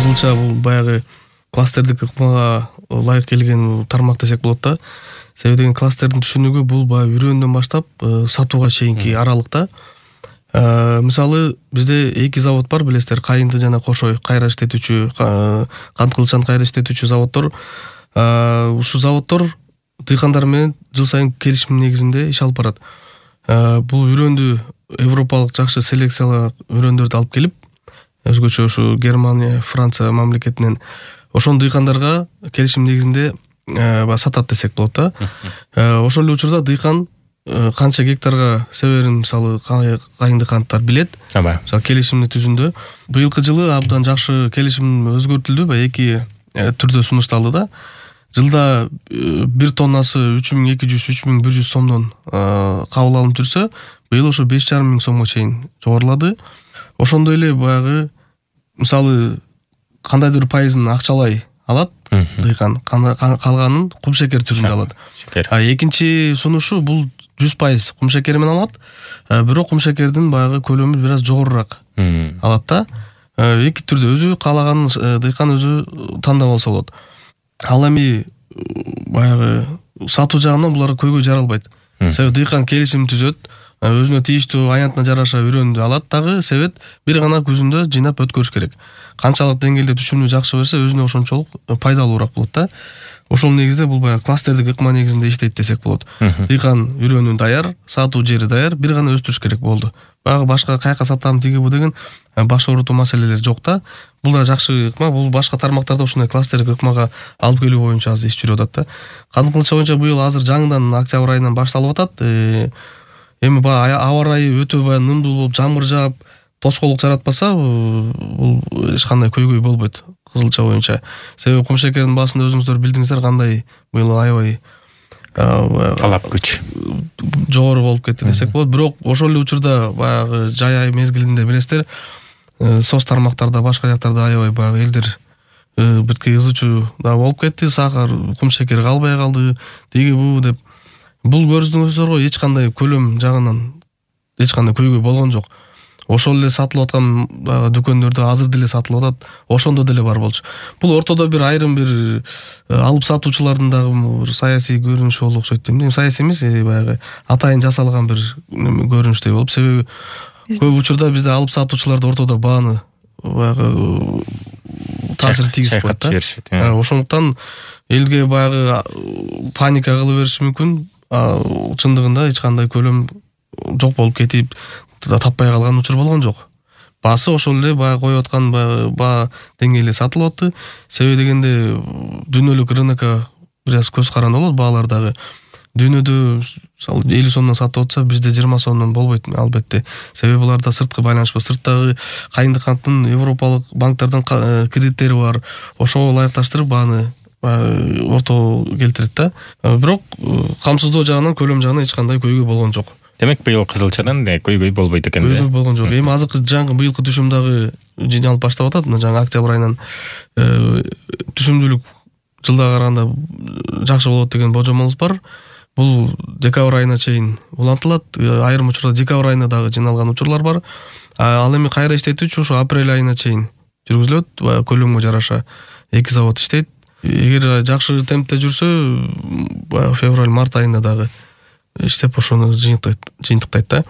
кызылча бул баягы кластердик ыкмага ылайык келген тармак десек болот да. Себеби деген кластердин түшүнүгү бул баягы үрөндөн баштап сатууга чейинки аралыкта. Мисалы бизде 2 завод бар, билесиздер, Кайынды жана Кошой кайра иштетүүчү, кант кылычаны кайра иштетүүчү заводдор. Ушу заводдор дыйкандар менен жыл сайын келишим негизинде иш алып барат. Бул үрөндү европалык жакшы селекциялык үрөндөрдү алып келип, өзгөчө ушу Германия, Франция мамлекетинен ошол дыйкандарга келишим негизинде сатат десек болот да. Ошол эле учурда дыйкан канча гектарга себерин мисалы кайынды канттар билет. Мисалы келишимди түзүндө быйылкы жылы абдан жакшы келишим өзгөртүлдү, эки түрдө сунушталды да. Жылда 1 тоннасы 3200-3100 сомдон кабыл алынып жүрсө, быйыл ошо 5500 сомго чейин жогорулады. Ошондой эле баягы мисалы кандайдыр пайызын акчалай алат дыйкан, калганын кумшекер түрүндө алат. Экинчи сунушу бул 100% кумшекер менен алат, бирок кумшекердин баягы көлөмү бир аз жогорураак алат да. Эки түрдө өзү каалаганын дыйкан өзү тандап алса болот. Ал эми баягы сатуу жагынан булар көйгөй жаралбайт. Себеби дыйкан келишим түзөт, өзүнө тийиштүү аянтына жараша үрөндү алат дагы, себет бир гана күзүндө жыйнап өткөрүш керек. Канчалык деңгээлде түшүмү жакшы берсе, өзүнө ошончолук пайдалуураак болот да. Ошол негизде бул баягы кластердик ыкма негизинде иштейт десек болот. Дыйкан үрөнү даяр, сатуу жери даяр, бир гана өстүрүш керек болду. Баягы башка каяка сатам тиги бу деген баш оорутуу маселелер жок да. Бул да жакшы ыкма, бул башка тармактарда ушундай кластердик ыкмага алып келүү боюнча азыр иш жүрүп атат да. Кант кылыча боюнча быйыл азыр жаңыдан октябрь айынан башталып атат. Эми аба ырайы өтө нымдуу болуп, жамгыр жаап, тошкоолук жаратпаса, бул эч кандай көйгөй болбойт кызылча боюнча. Себеби кумшекердин баасында өзүңүздөр билдиңиздер кандай быйыл аябай талап күч жогору болуп кетти десек болот. Бирок ошол эле учурда баягы жай ай мезгилинде билесиздер, соц тармактарда, башка жактарда аябай баягы элдер бирки ызычуу да болуп кетти. Сахар, кумшекер калбай калды, тиги бу деп. Бул көрдүңүздөр го, эч кандай көлөм жагынан эч кандай көйгөй болгон жок. Ошол эле сатылып аткан дүкөндөрдө азыр деле сатылып атат, ошондо деле бар болчу. Бул ортодо бир айрым бир алып сатуучулардын дагы бир саясий көрүнүшү болуп окшойт дейм. Саясий эмес, баягы атайын жасалган бир көрүнүштөй болуп, себеби көп учурда бизде алып сатуучулар ортодо бааны баягы таасир тийгизип коет да. Ошондуктан элге баягы паника кыла бериши мүмкүн. Чындыгында эч кандай көлөм жок болуп кетип, таппай калган учур болгон жок. Баасы ошол эле баягы коюп аткан баа деңгээлде сатылып атты. Себеби дегенде дүйнөлүк рынокко бир аз көз каранды болот, баалар дагы. Дүйнөдө мисалы 50 сомдон сатып атса, бизде 20 сомдон болбойт албетте. Себеби буларда сырткы байланыш бар. Сырттагы кайынды канттын европалык банктардын кредиттери бар. Ошого ылайыкташтырып бааны орто келтирет да. Бирок камсыздоо жагынан, көлөм жагынан эч кандай көйгөй болгон жок. Демек быйыл кызылчадан көйгөй болбойт экен да. Көйгөй болгон жок. Эми азыркы жаңы быйылкы түшүм дагы жыйналып баштап атат. Мына жаңы октябрь айынан түшүмдүүлүк жылдага караганда жакшы болот деген божомолубуз бар. Бул декабрь айына чейин улантылат. Айрым учурда декабрь айына дагы жыйналган учурлар бар. Ал эми кайра иштетүүчү ушу апрель айына чейин жүргүзүлөт. Көлөмгө жараша 2 завод иштейт. Эгер жакшы темпте жүрсө, февраль-март айында дагы иштеп ошону жыйынтыктайт да.